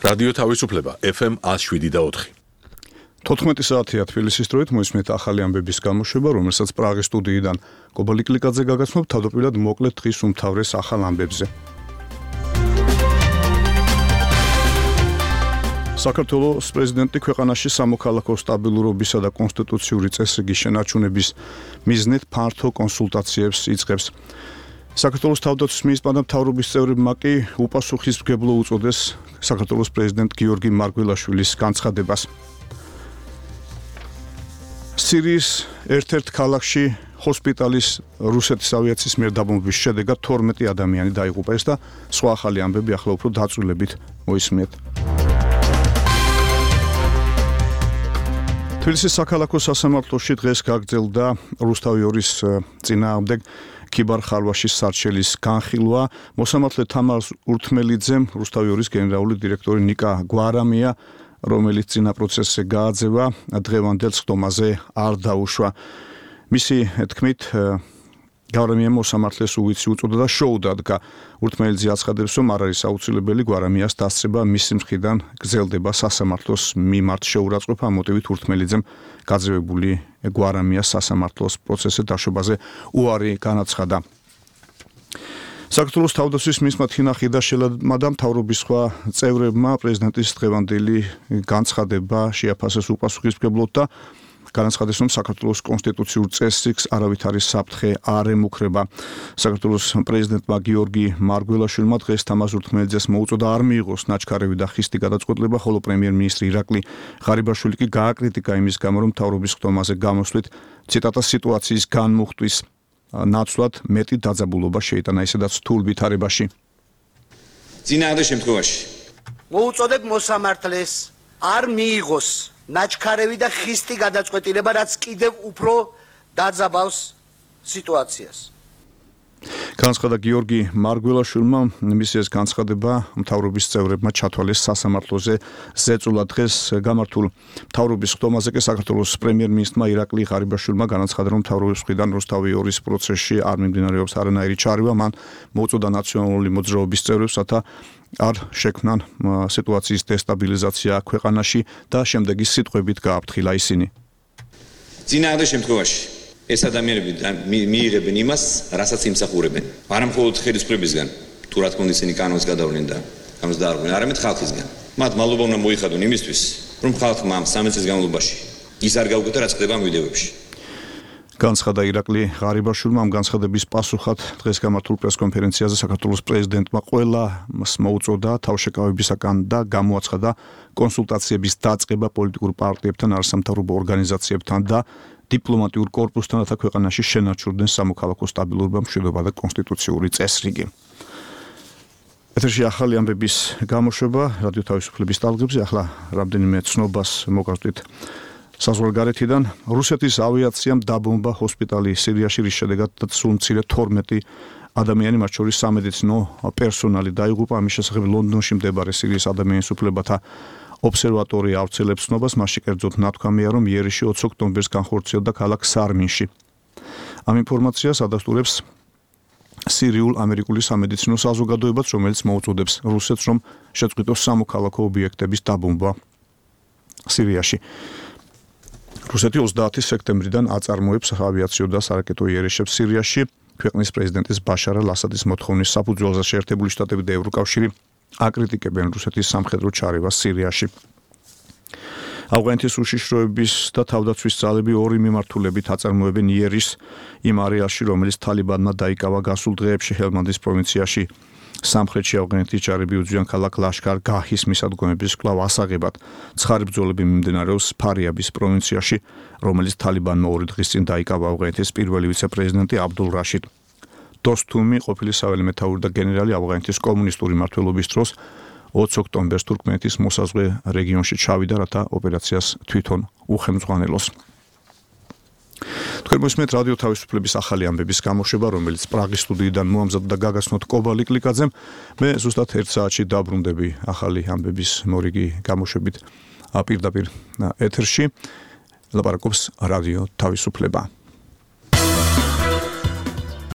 რადიო თავისუფლება FM 107.4. 14 საათია თბილისის დროით მოისმენთ ახალი ამბების გამოშვება, რომელსაც პრაღის სტუდიიდან კობალტ კლიკაძე გაგაცნობ თავდაპირველად მოკლედ დღის უმთავრეს ახალ ამბებზე. საქართველოს პრეზიდენტი ქვეყანაში სამოქალაქო სტაბილურობისა და კონსტიტუციური წესრიგის შენარჩუნების მიზნით ფართო კონსულტაციებს იწყებს. საქართველოს თავდაცვის მინისტრმა და მთავრობის წევრებმა კი უპასუხისმგებლო უწოდეს საქართველოს პრეზიდენტ გიორგი მარგველაშვილის განცხადებას. სირიის ერთ-ერთ ქალაქში ჰოსპიტალის რუსეთის ავიაციის მიერ დაბომბვის შედეგად 12 ადამიანი დაიღუპეს და სხვა ახალი ამბები ახლა უფრო დაწვრილებით მოისმენთ. თბილისის საქალაქო სასამართლოში დღეს გაგრძელდა რუსთავი 2-ის წინააღმდეგ ქიბარ-ხარვაშის სარჩელის განხილვა. მოსამართლე თამარ ურთმელიძემ, რუსთავი 2-ის გენერალური დირექტორი ნიკა გვარამია, რომელიც წინა პროცესზე გააძევა, დღევანდელ სხდომაზე არ დაუშვა. მისი თქმით, გვარამიამ მოსამართლეს უვიცი უწოდა და შოუ დადგა. ურთმელიძე აცხადებს, რომ არ არის აუცილებელი გვარამიას დასწრება, მისი მხრიდან გრძელდება სასამართლოს მიმართ შეურაცხყოფა. ამ მოტივით ურთმელიძემ გაძევებული გვარამიას სასამართლოს პროცესზე დაშვებაზე უარი განაცხადა. საქართველოს თავდაცვის მინისტრმა თინა ხიდაშელმა და მთავრობის სხვა წევრებმა პრეზიდენტის დღევანდელი განცხადება შეაფასეს უპასუხისმგებლოდ და განაცხადეს, რომ საქართველოს კონსტიტუციურ წესრიგს არავითარი საფრთხე არ ემუქრება. საქართველოს პრეზიდენტმა გიორგი მარგველაშვილმა დღეს თამარ ურთმელიძეს მოუწოდა არ მიიღოს ნაჩქარევი და ხისტი გადაწყვეტილება, ხოლო პრემიერ-მინისტრი ირაკლი ღარიბაშვილი კი გააკრიტიკა იმის გამო, რომ მთავრობის ხდომაზე გამოსვლით ციტატა სიტუაციის განმუხტვის ნაცვლად მეტი დაძაბულობა შეიტანა ისედაც რთულ ვითარებაში. წინააღმდეგ შემთხვევაში მოუწოდებ მოსამართლეს არ მიიღოს ნაჩქარევი და ხისტი გადაწყვეტილება, რაც კიდევ უფრო დაძაბავს სიტუაციას. განცხადა გიორგი მარგველაშვილმა, მისი ეს განცხადება მთავრობის წევრებმა ჩათვალეს სასამართლოზე ზეწოლა. დღეს გამართულ მთავრობის ხდომაზე კი საქართველოს პრემიერ-მინისტრმა ირაკლი ღარიბაშვილმა განაცხადა, რომ მთავრობის მხრიდან რუსთავი 2-ის პროცესში არ მიმდინარეობს არანაირი ჩარევა. მან მოუწოდა ნაციონალური მოძრაობის წევრებს, რათა არ შექმნან სიტუაციის დესტაბილიზაცია ქვეყანაში და შემდეგი სიტყვებით გააფრთხილა ისინი. წინააღმდეგ შემთხვევაში ეს ადამიანები მიიღებენ იმას, რასაც იმსახურებენ. არა მხოლოდ ხელისუფლებისგან, თუ რა თქმა უნდა ისინი კანონს გადავლენ და ამას დაარღვენ, არამედ ხალხისგან. მათ მადლობა უნდა მოიხადონ იმისთვის, რომ ხალხმა ამ 13 წლის განმავლობაში ის არ გაუგეთა, რაც ხდება ამ ვიდეოებში. განცხადა ირაკლი ღარიბაშვილმა. ამ განცხადების პასუხად დღეს გამართულ პრესკონფერენციაზე საქართველოს პრეზიდენტმა ყველას მოუწოდა თავშეკავებისაგან და გამოაცხადა კონსულტაციების დაწყება პოლიტიკურ პარტიებთან, არასამთავრობო ორგანიზაციებთან და დიპლომატიურ კორპუსთან, რათა ქვეყანაში შენარჩუნდეს სამოქალაქო სტაბილურობა, მშვიდობა და კონსტიტუციური წესრიგი. ეთერში ახალი ამბების გამოშვება რადიო თავისუფლების ტალღებზე. ახლა რამდენიმე ცნობას მოგავსდით საზღვარგარეთიდან. რუსეთის ავიაციამ დაბომბა ჰოსპიტალი სირიაში, რის შედეგადაც სულ მცირე 12 ადამიანი, მათ შორის სამედიცინო პერსონალი დაიღუპა. ამის შესახებ ლონდონში მდებარე სირიის ადამიანის უფლებათა ობსერვატორია ავრცელებს ცნობას. მასში კერძოდ ნათქვამია, რომ იერიში 20 ოქტომბერს განხორციელდა ქალაქ სარმინში. ამ ინფორმაციას ადასტურებს სირიულ-ამერიკული სამედიცინო საზოგადოებაც, რომელიც მოუწოდებს რუსეთს, რომ შეწყვიტოს სამოქალაქო ობიექტების დაბომბვა სირიაში. რუსეთი 30 სექტემბრიდან აწარმოებს ავიაციო და სარაკეტო იერიშებს სირიაში. ქვეყნის პრეზიდენტის ბაშარ ალ-ასადის მოთხოვნის საფუძველზე შეერთებული შტატები და ევროკავშირი აკრიტიკებენ რუსეთის სამხედრო ჩარევას სირიაში. ავღანეთის უშიშროების და თავდაცვის ძალები ორი მიმართულებით აწარმოებენ იერიშს იმ არეალში, რომელიც თალიბანმა დაიკავა გასულ დღეებში ჰელმანდის პროვინციაში. სამხრეთში ავღანეთის ჯარები უძვიან ქალაქ ლაშქარ-გაჰის მისადგომების კვლავ ასაღებად. ცხარი ბრძოლები მიმდინარეობს ფარიაბის პროვინციაში, რომელიც თალიბანმა 2 დღის წინ დაიკავა ავღანეთის პირველი ვიცე-პრეზიდენტი აბდულ რაშიდ დოსთუმი, ყოფილი საველე მეთაური და გენერალი ავღანეთის კომუნისტური მმართველობის დროს 20 ოქტომბერს თურქმენეთის მოსაზღვრე რეგიონში ჩავიდა, რათა ოპერაციას თვითონ უხელმძღვანელოს. თქვენ მოსმენთ რადიო თავისუფლების ახალი ამბების გამოშვება, რომელიც პრაღის სტუდიიდან მოამზადდა და გაგაცნოთ კობალტ კლიკაძემ. მე ზუსტად 1 საათში დაბრუნდები ახალი ამბების მორიგი გამოშვებით პირდაპირ ეთერში. ლაპარაკობს რადიო თავისუფლება.